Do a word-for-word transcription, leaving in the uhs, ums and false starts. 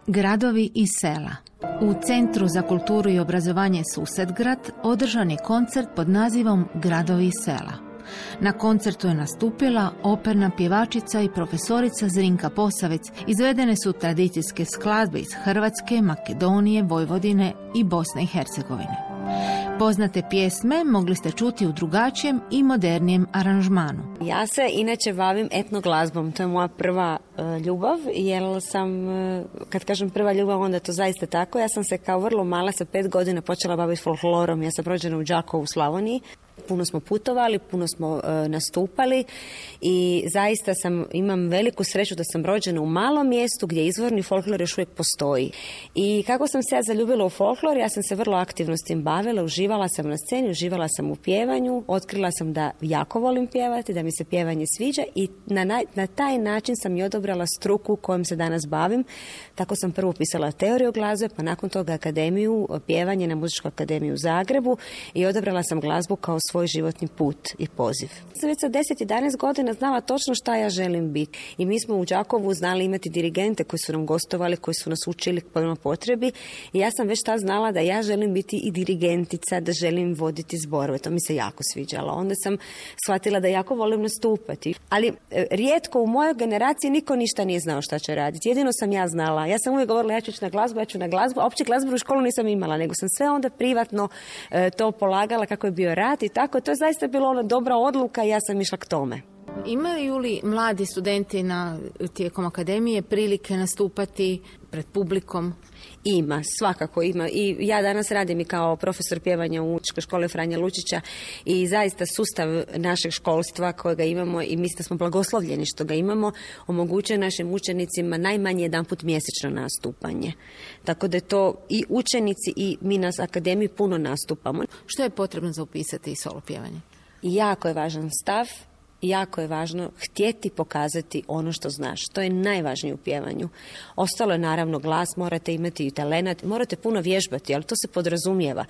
Gradovi i sela. U Centru za kulturu i obrazovanje Susedgrad održan je koncert pod nazivom Gradovi i sela. Na koncertu je nastupila operna pjevačica i profesorica Zrinka Posavec. Izvedene su tradicijske skladbe iz Hrvatske, Makedonije, Vojvodine i Bosne i Hercegovine. Poznate pjesme mogli ste čuti u drugačijem i modernijem aranžmanu. Ja se inače bavim etnoglazbom, to je moja prva uh, ljubav, jer sam, uh, kad kažem prva ljubav, onda je to zaista tako. Ja sam se kao vrlo mala, sa pet godina, počela baviti folklorom. Ja sam rođena u Đakovu u Slavoniji. Puno smo putovali, puno smo uh, nastupali i zaista sam, imam veliku sreću da sam rođena u malom mjestu gdje izvorni folklor još uvijek postoji. I kako sam se ja zaljubila u folklor, ja sam se vrlo aktivno s tim bavila, uživala sam na sceni, uživala sam u pjevanju, otkrila sam da jako volim pjevati, da mi se pjevanje sviđa i na, na, na taj način sam i odabrala struku kojom se danas bavim. Tako sam prvo pisala teoriju glazbe, pa nakon toga akademiju, pjevanje na Muzičkoj akademiji u Zagrebu i odabrala sam glazbu kao svoj životni put i poziv. Sam već sa deset jedanaest godina znala točno šta ja želim biti. I mi smo u Đakovu znali imati dirigente koji su nam gostovali, koji su nas učili prema potrebi. I ja sam već tad znala da ja želim biti i dirigentica, da želim voditi zborove. To mi se jako sviđalo. Onda sam shvatila da jako volim nastupati. Ali e, rijetko u mojoj generaciji niko ništa nije znao šta će raditi. Jedino sam ja znala. Ja sam uvijek govorila ja ću ići na glazbu, ja ću na glazbu. A opće glazbu u školu nisam imala, nego sam sve onda privatno e, to polagala kako je bio rad i tako. To je zaista bilo ona dobra odluka i ja sam išla k tome. Imaju li mladi studenti na, tijekom akademije prilike nastupati pred publikom? Ima, svakako ima. I ja danas radim i kao profesor pjevanja u Učkoj školi Franje Lučića i zaista sustav našeg školstva kojega imamo i mislim da smo blagoslovljeni što ga imamo, omogućuje našim učenicima najmanje jedanput mjesečno nastupanje. Tako da je to i učenici i mi na akademiji puno nastupamo. Što je potrebno za upisati solo pjevanje? Jako je važan stav. Jako je važno htjeti pokazati ono što znaš. To je najvažnije u pjevanju. Ostalo je naravno glas, morate imati i talenat, morate puno vježbati, ali to se podrazumijeva.